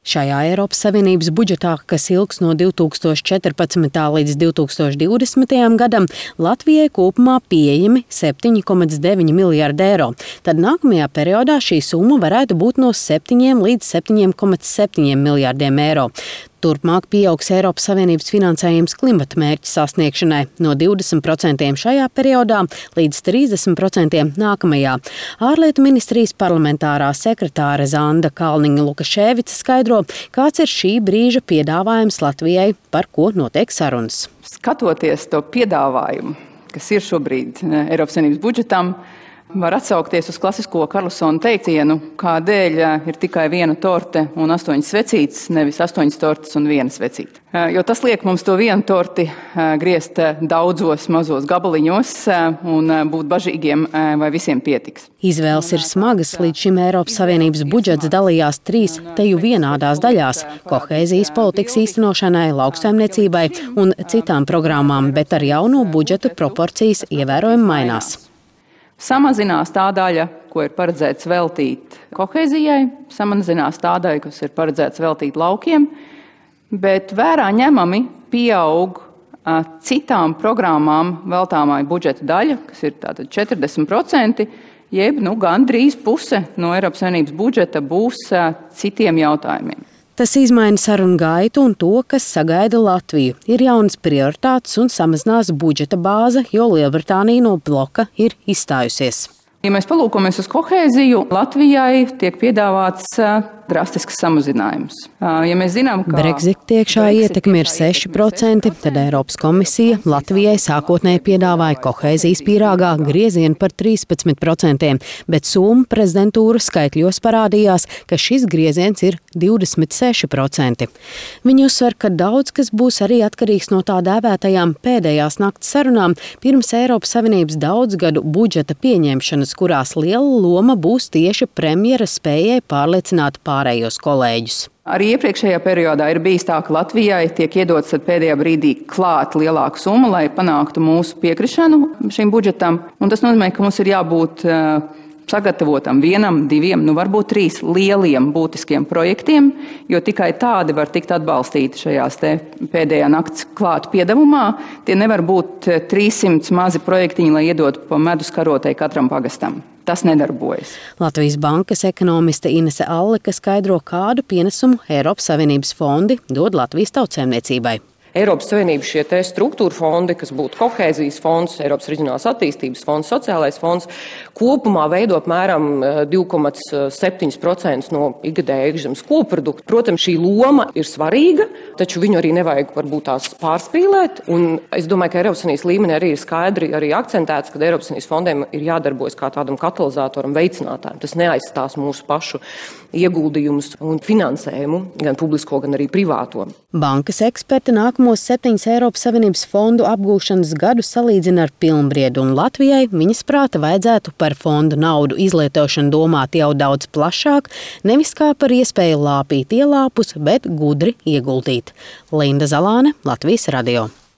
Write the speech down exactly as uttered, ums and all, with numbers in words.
Šajā Eiropas Savienības budžetā, kas ilgs no divi tūkstoši četrpadsmitā līdz divi tūkstoši divdesmitajam gadam, Latvijai kopumā pieejami septiņi komats deviņi miljardi eiro. Tad nākamajā periodā šī summa varētu būt no septiņiem līdz septiņiem komats septiņiem miljardiem eiro. Turpmāk pieaugs Eiropas Savienības finansējums klimata mērķu sasniegšanai no divdesmit procentiem šajā periodā līdz trīsdesmit procentiem nākamajā. Ārlietu ministrijas parlamentārā sekretāre Zanda Kalniņa-Lukaševica skaidro, kāds ir šī brīža piedāvājums Latvijai, par ko notiek sarunas. Skatoties to piedāvājumu, kas ir šobrīd Eiropas Savienības budžetam, var atsaukties uz klasisko Karlsona teicienu, kādēļ ir tikai viena torte un astoņas svecītes, nevis astoņas tortes un viena svecīte. Jo tas liek mums to vienu torti griezt daudzos mazos gabaliņos un būt bažīgiem, vai visiem pietiks. Izvēles ir smagas, līdz šim Eiropas Savienības budžets dalījās trīs teju vienādās daļās – kohēzijas politikas īstenošanai, lauksaimniecībai un citām programmām, bet ar jauno budžetu proporcijas ievērojami mainās. Samazinās tā daļa, ko ir paredzēts veltīt kohēzijai, samazinās tā daļa, kas ir paredzēts veltīt laukiem, bet vērā ņemami pieaug citām programmām veltāmai budžeta daļa, kas ir tātad četrdesmit procenti, jeb nu, gandrīz puse no Eiropas Savienības budžeta būs citiem jautājumiem. Tas izmaina sarunu gaitu un to, kas sagaida Latviju. Ir jaunas prioritātes un samazinās budžeta bāze, jo Lielbritānija no bloka ir izstājusies. Ja mēs palūkojamies uz kohēziju, Latvijai tiek piedāvāts drastisks samazinājums. Ja mēs zinām, ka Brexit tiekšā ietekme ir seši procenti, tad Eiropas komisija Latvijai sākotnēji piedāvāja kohēzijas pīrāgā griezienu par trīspadsmit procentiem, bet Somu prezidentūras skaitļos parādījās, ka šis grieziens ir divdesmit seši procenti. Viņi uzsver, ka daudz kas būs arī atkarīgs no tā dēvētajām pēdējās nakts sarunām pirms Eiropas Savienības daudzgadu budžeta pieņemšanas, kurās liela loma būs tieši premjera spējai pārliecināt pārējos kolēģus. Arī iepriekšējā periodā ir bijis tā, ka Latvijai tiek iedots pēdējā brīdī klāt lielāku summu, lai panāktu mūsu piekrišanu šim budžetam. Un tas nozīmē, ka mums ir jābūt sagatavotam vienam, diviem, nu varbūt trīs lieliem būtiskiem projektiem, jo tikai tādi var tikt atbalstīti šajās te pēdējā nakts klāt piedevumā. Tie nevar būt trīssimt mazi projektiņi, lai iedotu pa medus karotei katram pagastam. Tas nedarbojas. Latvijas bankas ekonomiste Inese Alleka skaidro, kādu pienesumu Eiropas Savienības fondi dod Latvijas tautsēmniecībai. Eiropas Savienības šie te struktūra fondi, kas būtu kohēzijas fonds, Eiropas reģionālās attīstības fonds, sociālais fonds, kopumā veido apmēram divi komats septiņi procenti no ikgadēja iekšzemes koprodukta. Protams, šī loma ir svarīga, taču viņu arī nevajag varbūt tās pārspīlēt. Un es domāju, ka Eiropas Savienības līmenī arī ir skaidri arī akcentēts, ka Eiropas Savienības fondiem ir jādarbojas kā tādam katalizatoram, veicinātājam. Tas neaizstās mūsu pašu ieguldījumus un finansējumu, gan publisko, gan arī privāto. Bankas eksperti nākamos septiņus Eiropas Savienības fondu apgūšanas gadus salīdzina ar pilnbriedu, un Latvijai viņas prāta vajadzētu par fondu naudu izlietošanu domāt jau daudz plašāk, nevis kā par iespēju lāpīt ielāpus, bet gudri ieguldīt. Linda Zalāne, Latvijas radio.